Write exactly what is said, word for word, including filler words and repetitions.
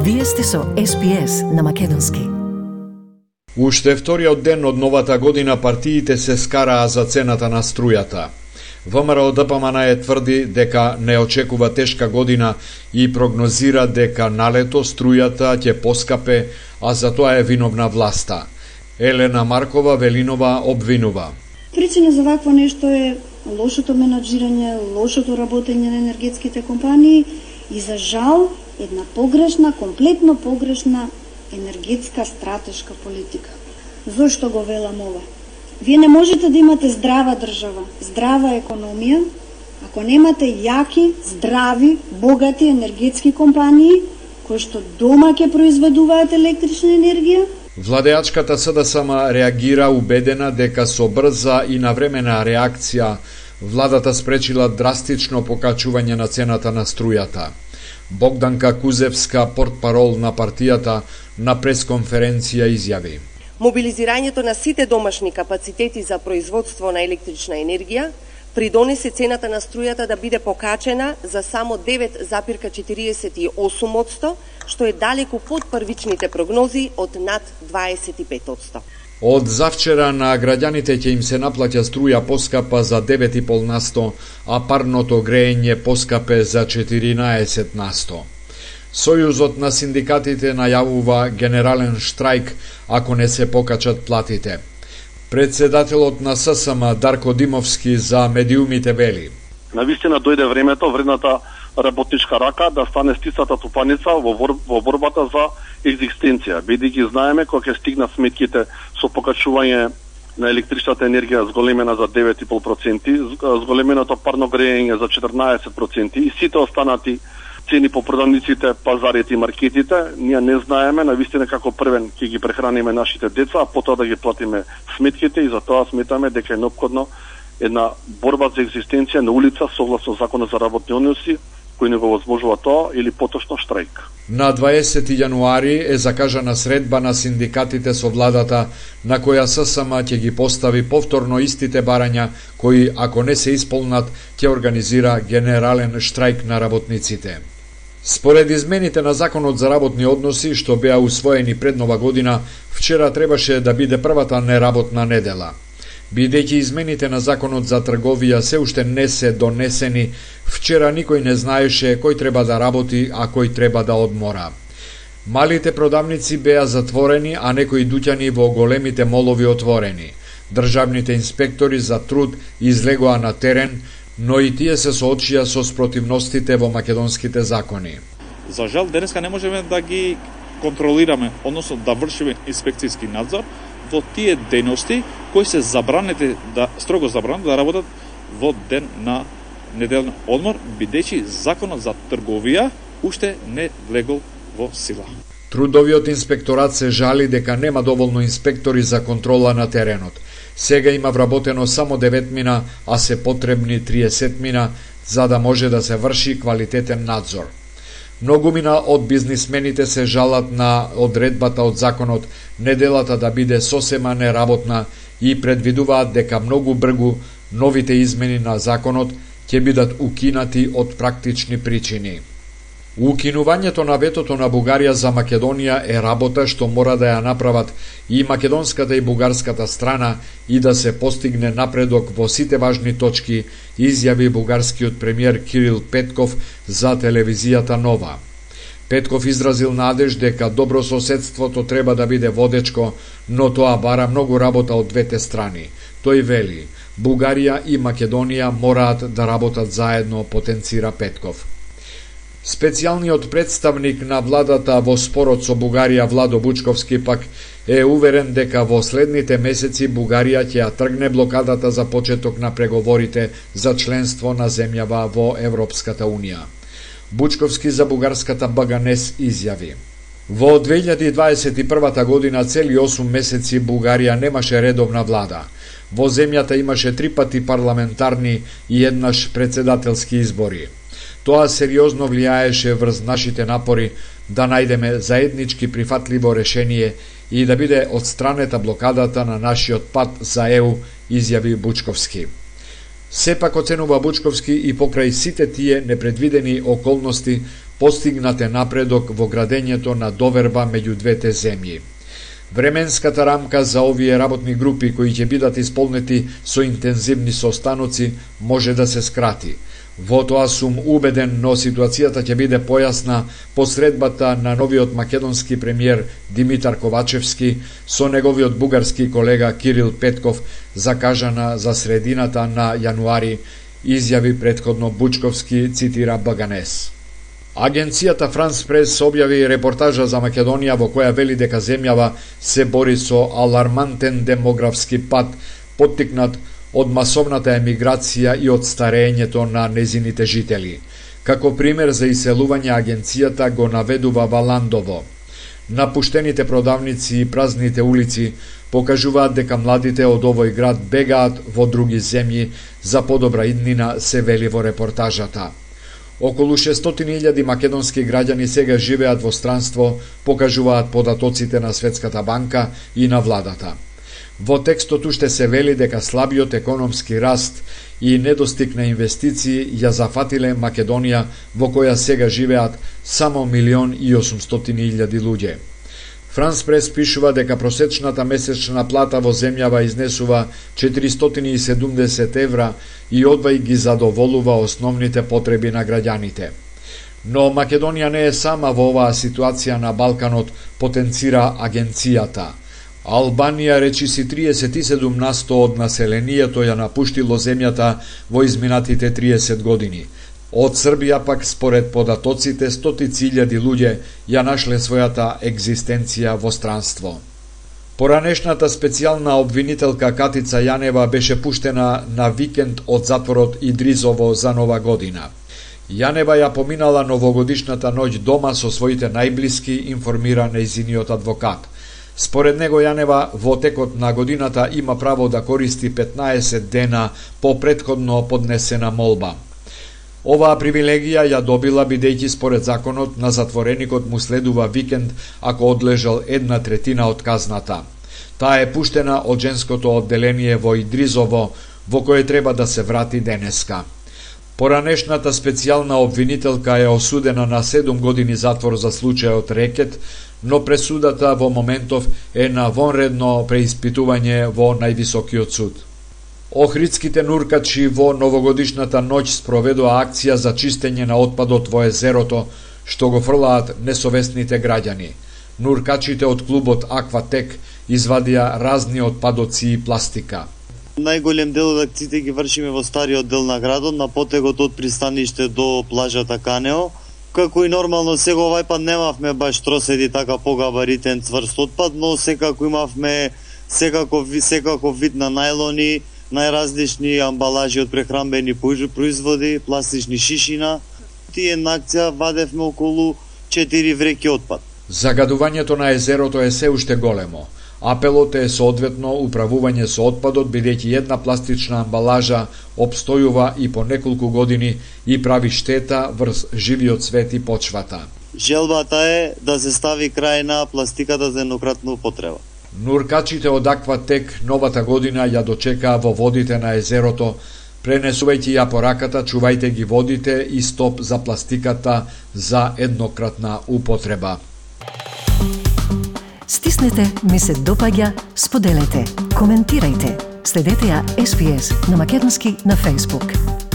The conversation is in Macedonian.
Вие сте со Ес Би Ес на македонски. Уште вториот ден од новата година партиите се скараа за цената на струјата. ВМРО Д П М Н Е тврди дека не очекува тешка година и прогнозира дека налето струјата ќе поскапе, а за тоа е виновна власта. Елена Маркова Велинова обвинува. Причина за вакво нешто е лошото менаџирање, лошото работење на енергетските компании и за жал една погрешна, комплетно погрешна енергетска стратешка политика. Зошто го велам ова? Вие не можете да имате здрава држава, здрава економија, ако немате јаки, здрави, богати енергетски компании кои што дома ќе произведуваат електрична енергија. Владеачката С Д С М реагира убедена дека со брза и навремена реакција владата спречила драстично покачување на цената на струјата. Богданка Кузевска, портпарол на партијата, на пресконференција изјави: Мобилизирањето на сите домашни капацитети за производство на електрична енергија придонесе цената на струјата да биде покачена за само девет запирка четириесет и осум одсто, што е далеку под првичните прогнози од над дваесет и пет одсто. Од завчера на граѓаните ќе им се наплаќа струја поскапа за девет и пет одсто, а парното грејење поскапе за четиринаесет одсто. Сојузот на синдикатите најавува генерален штрајк ако не се покачат платите. Председателот на С С М Дарко Димовски за медиумите вели: Навистина дојде времето вредната работничка рака да стане стисата тупаница во, бор, во борбата за екзистенција, бидејќи знаеме кога ќе стигнат сметките со покачување на електричната енергија зголемена за девет и пет проценти, зголеменото парно грејење за четрнаесет проценти и сите останати цени по продавниците, пазарите и маркетите, ние не знаеме навистина како првен ќе ги прехраниме нашите деца, а потоа да ги платиме сметките, и затоа сметаме дека е неопходно една борба за екзистенција на улица согласно законот за работни односи, кој не го возможува тоа, или поточно штрајк. На дваесети јануари е закажана средба на синдикатите со владата, на која С С М ќе ги постави повторно истите барања, кои, ако не се исполнат, ќе организира генерален штрајк на работниците. Според измените на Законот за работни односи, што беа усвоени пред нова година, вчера требаше да биде првата неработна недела. Бидејќи измените на Законот за трговија се уште не се донесени, вчера никој не знаеше кој треба да работи, а кој треба да одмора. Малите продавници беа затворени, а некои дуќани во големите молови отворени. Државните инспектори за труд излегоа на терен, но и тие се соочија со спротивностите во македонските закони. За жал, денеска не можеме да ги контролираме, односно да вршиме инспекцијски надзор во тие дејности кои се забранети, да строго забранети да работат во ден на неделен одмор, бидејќи Законот за трговија уште не влегол во сила. Трудовиот инспекторат се жали дека нема доволно инспектори за контрола на теренот. Сега има вработено само девет мина, а се потребни триесет мина за да може да се врши квалитетен надзор. Многумина од бизнисмените се жалат на одредбата од законот неделата да биде сосема неработна и предвидуваат дека многу бргу новите измени на законот ќе бидат укинати од практични причини. Укинувањето на ветото на Бугарија за Македонија е работа што мора да ја направат и македонската и бугарската страна и да се постигне напредок во сите важни точки, изјави бугарскиот премиер Кирил Петков за телевизијата Нова. Петков изразил надеж дека добро соседството треба да биде водечко, но тоа бара многу работа од двете страни. Тој вели: Бугарија и Македонија мораат да работат заедно, потенцира Петков. Специјалниот представник на владата во спорот со Бугарија Владо Бучковски пак е уверен дека во следните месеци Бугарија ќе ја тргне блокадата за почеток на преговорите за членство на земјава во Европската Унија. Бучковски за бугарската Б Г Н Е С изјави: Во две илјади дваесет и прва година цели осум месеци Бугарија немаше редовна влада. Во земјата имаше три пати парламентарни и еднаш председателски избори. Тоа сериозно влијаеше врз нашите напори да најдеме заеднички прифатливо решение и да биде отстранета блокадата на нашиот пат за Е У, изјави Бучковски. Сепак, оценува Бучковски, и покрај сите тие непредвидени околности, постигнат е напредок во градењето на доверба меѓу двете земји. Временската рамка за овие работни групи кои ќе бидат исполнети со интензивни состаноци може да се скрати. Во тоа сум убеден, но ситуацијата ќе биде појасна посредбата на новиот македонски премиер Димитар Ковачевски со неговиот бугарски колега Кирил Петков, закажана за средината на јануари, изјави претходно Бучковски, цитира Баганес. Агенцијата Франс Прес објави репортажа за Македонија во која вели дека земјава се бори со алармантен демографски пат, поттикнат од масовната емиграција и од старењето на незините жители. Како пример за иселување агенцијата го наведува Валандово. Напуштените продавници и празните улици покажуваат дека младите од овој град бегаат во други земји за подобра иднина, се вели во репортажата. Околу шестстотини илјади македонски граѓани сега живеат во странство, покажуваат податоците на Светската банка и на владата. Во текстот уште се вели дека слабиот економски раст и недостиг на инвестиции ја зафатиле Македонија, во која сега живеат само милион и осумстотини илјади луѓе. Франс Прес пишува дека просечната месечна плата во земјава изнесува четиристотини и седумдесет евра и одвај ги задоволува основните потреби на граѓаните. Но Македонија не е сама во оваа ситуација на Балканот, потенцира агенцијата. Албанија речиси триесет и седум на сто од населението ја напуштило земјата во изминатите триесет години. Од Србија пак, според податоците, стотици илјади луѓе ја нашле својата екзистенција во странство. Поранешната специјална обвинителка Катица Јанева беше пуштена на викенд од затворот Идризово за Нова година. Јанева ја поминала новогодишната ноќ дома со своите најблиски, информира нејзиниот адвокат. Според него Јанева во текот на годината има право да користи петнаесет дена по претходно поднесена молба. Оваа привилегија ја добила бидејќи според законот на затвореникот му следува викенд ако одлежал една третина од казната. Таа е пуштена од женското одделение во Идризово, во кое треба да се врати денеска. Поранешната специјална обвинителка е осудена на седум години затвор за случајот рекет, но пресудата во моментов е на вонредно преиспитување во највисокиот суд. Охридските нуркачи во новогодишната ноќ спроведоа акција за чистење на отпадот во езерото, што го фрлаат несовесните граѓани. Нуркачите од клубот Акватек извадија разни отпадоци и пластика. Најголем дел од акциите ги вршиме во стариот дел на градот, на потегот од пристаниште до плажата Канео. Како и нормално, сега овај пат немавме баш троседи така погабаритен цврст отпад, но секако имавме секаков, секаков вид на најлони, најразлични амбалажи од прехранбени производи, пластични шишина. Тие на акција вадевме околу четири вреќи отпад. Загадувањето на езерото е се уште големо. Апелот е соодветно управување со отпадот, бидејќи една пластична амбалажа обстојува и по неколку години и прави штета врз живиот свет и почвата. Желбата е да се стави крај на пластиката за еднократна употреба. Нуркачите од Акватек новата година ја дочекаа во водите на езерото, пренесувајќи ја пораката чувајте ги водите и стоп за пластиката за еднократна употреба. Стиснете, ми се допаѓа, споделете, коментирајте. Следете ја Ес Би Ес на македонски на Facebook.